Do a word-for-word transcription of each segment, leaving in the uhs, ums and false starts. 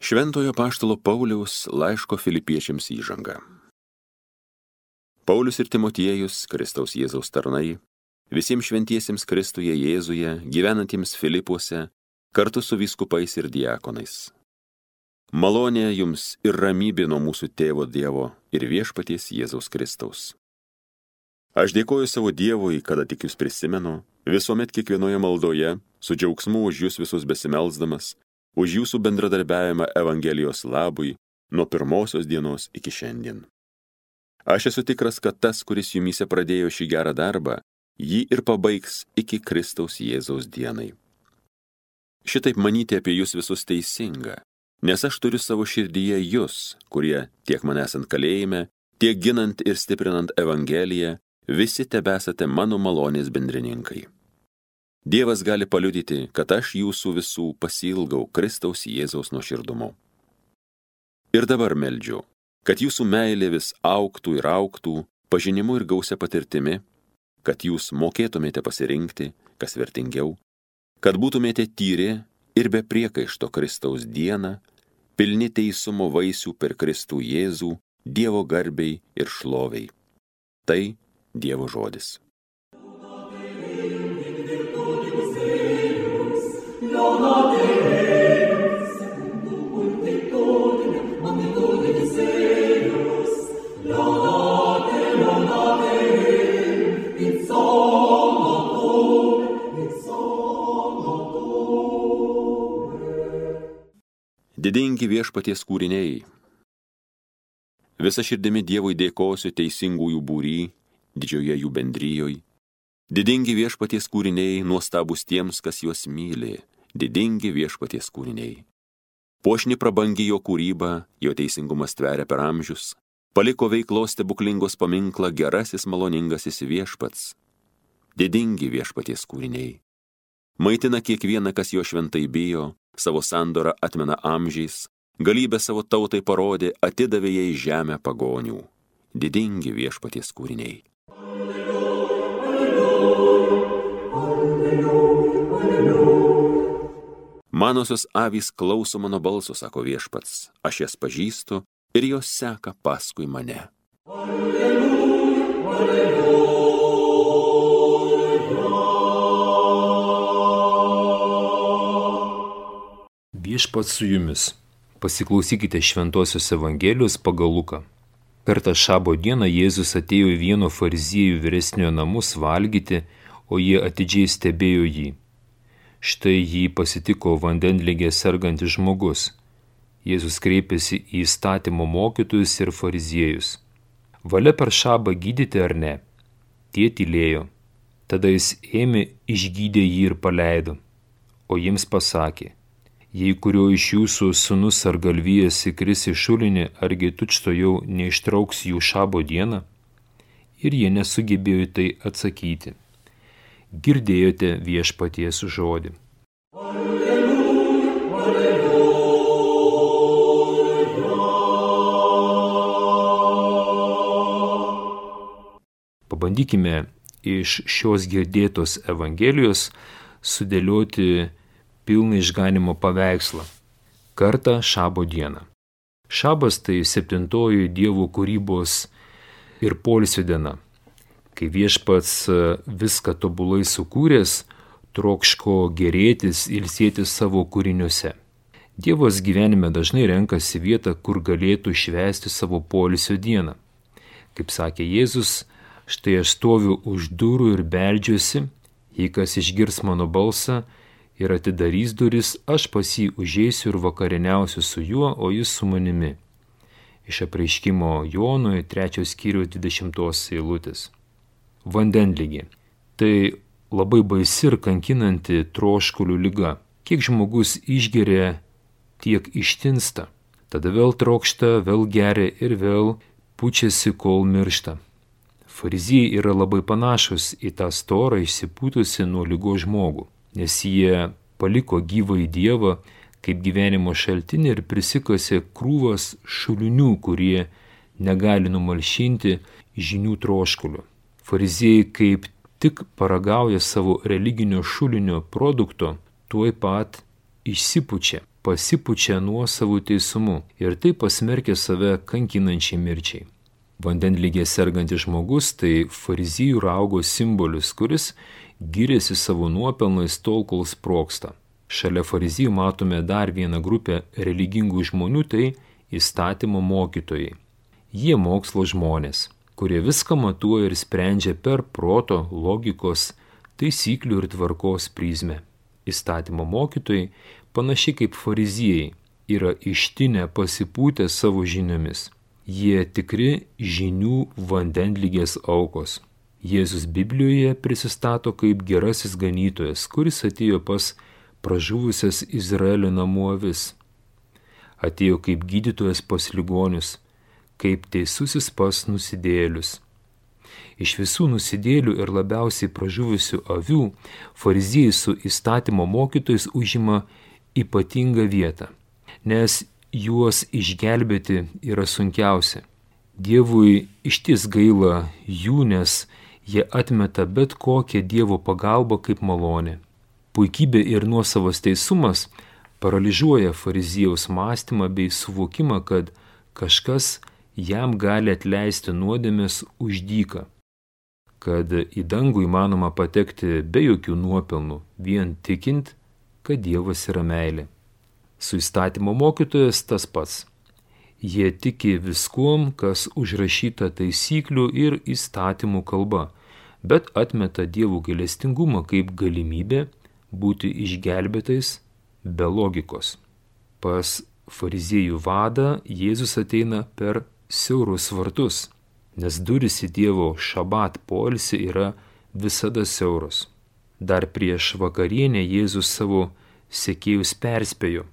Šventojo apaštalo Pauliaus laiško Filipiečiams įžanga. Paulius ir Timotiejus, Kristaus Jėzaus tarnai, visiems šventiesiems Kristuje Jėzuje, gyvenantiems Filipuose, kartu su vyskupais ir diakonais. Malonė jums ir ramybė nuo mūsų tėvo Dievo ir viešpaties Jėzaus Kristaus. Aš dėkoju savo Dievui, kada tik jūs prisimenu, visuomet kiekvienoje maldoje, su džiaugsmu už jūs visus besimelsdamas, už jūsų bendradarbiavimą Evangelijos labui nuo pirmosios dienos iki šiandien. Aš esu tikras, kad tas, kuris jumyse pradėjo šį gerą darbą, jį ir pabaigs iki Kristaus Jėzaus dienai. Šitaip manyti apie jūs visus teisinga, nes aš turiu savo širdyje jūs, kurie tiek man esant kalėjime, tiek ginant ir stiprinant Evangeliją, visi tebesate mano malonės bendrininkai. Dievas gali paliudyti, kad aš jūsų visų pasiilgau Kristaus Jėzaus nuoširdumu. Ir dabar meldžiu, kad jūsų meilė vis augtų ir augtų, pažinimu ir gausia patirtimi, kad jūs mokėtumėte pasirinkti, kas vertingiau, kad būtumėte tyri ir be priekaišto Kristaus dieną, pilni teisumo vaisių per Kristų Jėzų, Dievo garbei ir šloviai. Tai Dievo žodis. Didingi viešpaties kūriniai. Visa širdimi Dievui dėkosiu teisingųjų būry, didžioje jų bendryjoj. Didingi viešpaties kūriniai, nuostabus tiems, kas juos myli. Didingi viešpaties kūriniai. Puošni prabangi jo kūryba, jo teisingumas tveria per amžius. Paliko veiklos stebuklingos paminklą gerasis maloningasis viešpats. Didingi viešpaties kūriniai. Maitina kiekvieną, kas jo šventai bijo, savo sandorą atmena amžiais, galybę savo tautai parodė, atidavė jai žemę pagonių. Didingi viešpaties kūriniai. Manosios avys klauso mano balso, sako viešpats, aš jas pažįstu ir jos seka paskui mane. Alleluja, alleluja. Viešpats su jumis. Pasiklausykite Šventosios Evangelijos pagal Luką. Kartą šabo dieną Jėzus atėjo į vieno fariziejų vyresniojo namus valgyti, o jie atidžiai stebėjo jį. Štai jį pasitiko vandenligė sergantis žmogus. Jėzus kreipėsi į įstatymo mokytojus ir fariziejus. Valia per šabą gydyti ar ne? Tie tylėjo. Tada jis ėmė, išgydė jį ir paleido. O jiems pasakė, jei kurio iš jūsų sūnus ar galvijas įkris į šulinį, argi tučtuojau neištrauks jų šabo dieną? Ir jie nesugebėjo tai atsakyti. Girdėjote viešpaties žodį. Alleluja, alleluja. Pabandykime iš šios girdėtos Evangelijos sudėlioti pilną išganimo paveikslą. Kartą šabo dieną. Šabas tai septintoji Dievo kūrybos ir poilsio diena. Kai viešpats viską tobulai sukūręs, trokško gerėtis, ilsėtis savo kūriniuose. Dievas gyvenime dažnai renkasi vietą, kur galėtų švęsti savo poilsio dieną. Kaip sakė Jėzus, štai aš stoviu už durų ir beldžiuosi, jei kas išgirs mano balsą ir atidarys duris, aš pas jį užeisiu ir vakarieniausiu su juo, o jis su manimi. Iš Apreiškimo Jonui trečios skyriaus dvidešimtos eilutės. Vandenligė. Tai labai baisi ir kankinanti troškulių liga. Kiek žmogus išgeria, tiek ištinsta. Tada vėl trokšta, vėl geria ir vėl pučiasi, kol miršta. Fariziejai yra labai panašus į tą storą išsipūtusi nuo ligos žmogų, nes jie paliko gyvąjį Dievą kaip gyvenimo šaltinį ir prisikasė krūvas šulinių, kurie negali numalšinti žinių troškulio. Fariziejai kaip tik paragauja savo religinio šulinio produkto, tuoj pat išsipučia. pasipučia nuosavų teisumu ir taip pasmerkia save kankinančiai mirčiai. Vandenligė sergantis žmogus tai fariziejų raugo simbolis, kuris giriasi savo nuopelnais tol, kol sprogsta. Šalia fariziejų matome dar vieną grupę religingų žmonių, tai įstatymo mokytojai. Jie mokslo žmonės, kurie viską matuoja ir sprendžia per proto, logikos, taisyklių ir tvarkos prizmę. Įstatymo mokytojai, panašiai kaip fariziejai, yra ištinę pasipūtę savo žiniomis. Jie tikri žinių vandenligės aukos. Jėzus Biblijoje prisistato kaip gerasis ganytojas, kuris atėjo pas pražuvusias Izraelio namų avis. Atėjo kaip gydytojas pas ligonius, kaip teisusis pas nusidėjėlius. Iš visų nusidėjėlių ir labiausiai pražuvusių avių fariziejai su įstatymo mokytojais užima ypatingą vietą, nes juos išgelbėti yra sunkiausia. Dievui išties gaila jų, nes jie atmeta bet kokią Dievo pagalbą kaip malonę. Puikybė ir nuosavas teisumas paralyžiuoja fariziejaus mąstymą bei suvokimą, kad kažkas jam gali atleisti nuodėmes už dyką, kad į dangų įmanoma patekti be jokių nuopelnų, vien tikint, kad Dievas yra meilė. Su įstatymo mokytojas tas pats. Jie tiki viskuom, kas užrašyta taisyklių ir įstatymų kalba, bet atmeta Dievo gailestingumą kaip galimybę būti išgelbėtais be logikos. Pas fariziejų vadą Jėzus ateina per siaurus vartus, nes durys į Dievo šabat poilsį yra visada siauros. Dar prieš vakarienę Jėzus savo sekėjus perspėjo: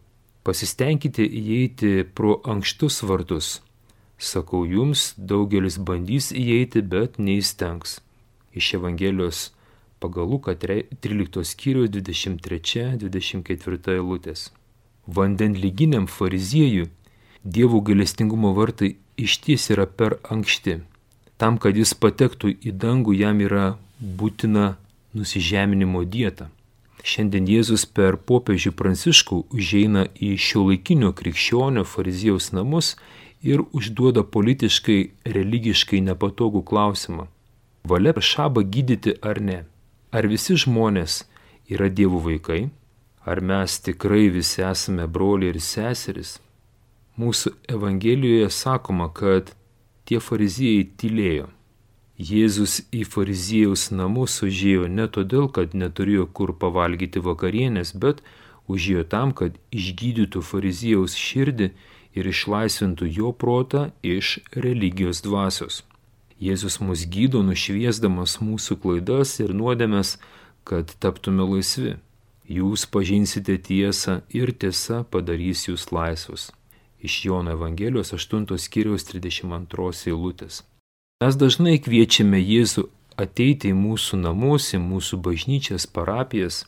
pasistengkite įeiti pro ankštus vartus. Sakau jums, daugelis bandys įeiti, bet neįstengs. Iš Evangelijos pagal Luką tryliktos skyriaus dvidešimt trečia dvidešimt ketvirta eilutės. Vandenliginiam fariziejui Dievo gailestingumo vartai išties yra per ankšti. Tam, kad jis patektų į dangų, jam yra būtina nusižeminimo dieta. Šiandien Jėzus per popiežių Pranciškų užeina į šiuolaikinio krikščionio fariziejaus namus ir užduoda politiškai, religiškai nepatogų klausimą. Valia šabą gydyti ar ne? Ar visi žmonės yra Dievo vaikai? Ar mes tikrai visi esame broliai ir seserys? Mūsų Evangelijoje sakoma, kad tie fariziejai tylėjo. Jėzus į fariziejaus namus užėjo ne todėl, kad neturėjo kur pavalgyti vakarienės, bet užėjo tam, kad išgydytų fariziejaus širdį ir išlaisvintų jo protą iš religijos dvasios. Jėzus mus gydo, nušviesdamas mūsų klaidas ir nuodėmes, kad taptume laisvi. Jūs pažinsite tiesą ir tiesa padarys jūs laisvus. Iš Jono Evangelijos aštuntos skyriaus trisdešimt antros eilutės. Mes dažnai kviečiame Jėzų ateiti į mūsų namus, į mūsų bažnyčias, parapijas.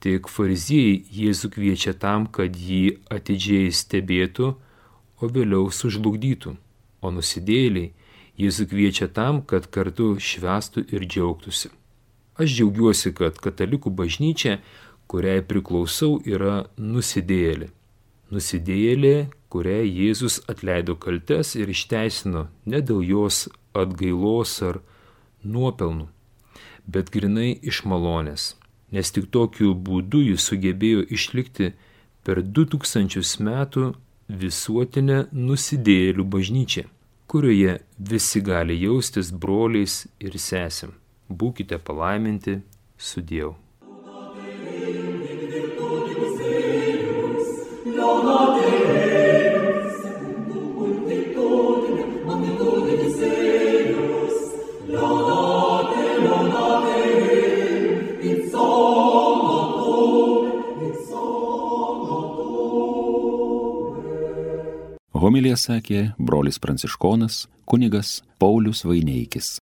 Tik fariziejai Jėzų kviečia tam, kad jį atidžiai stebėtų, o vėliau sužlugdytų. O nusidėjėliai Jėzų kviečia tam, kad kartu švęstų ir džiaugtųsi. Aš džiaugiuosi, kad katalikų bažnyčia, kuriai priklausau, yra nusidėjėlė. Nusidėjėlė, kuriai Jėzus atleido kaltes ir išteisino ne dėl jos atgailos ar nuopelnų, bet grinai iš malonės, nes tik tokiu būdu jis sugebėjo išlikti per du tūkstančius metų visuotinę nusidėjėlių bažnyčią, kurioje visi gali jaustis broliais ir sesėm. Būkite palaiminti, sudiev. Homiliją sakė brolis pranciškonas kunigas Paulius Vaineikis.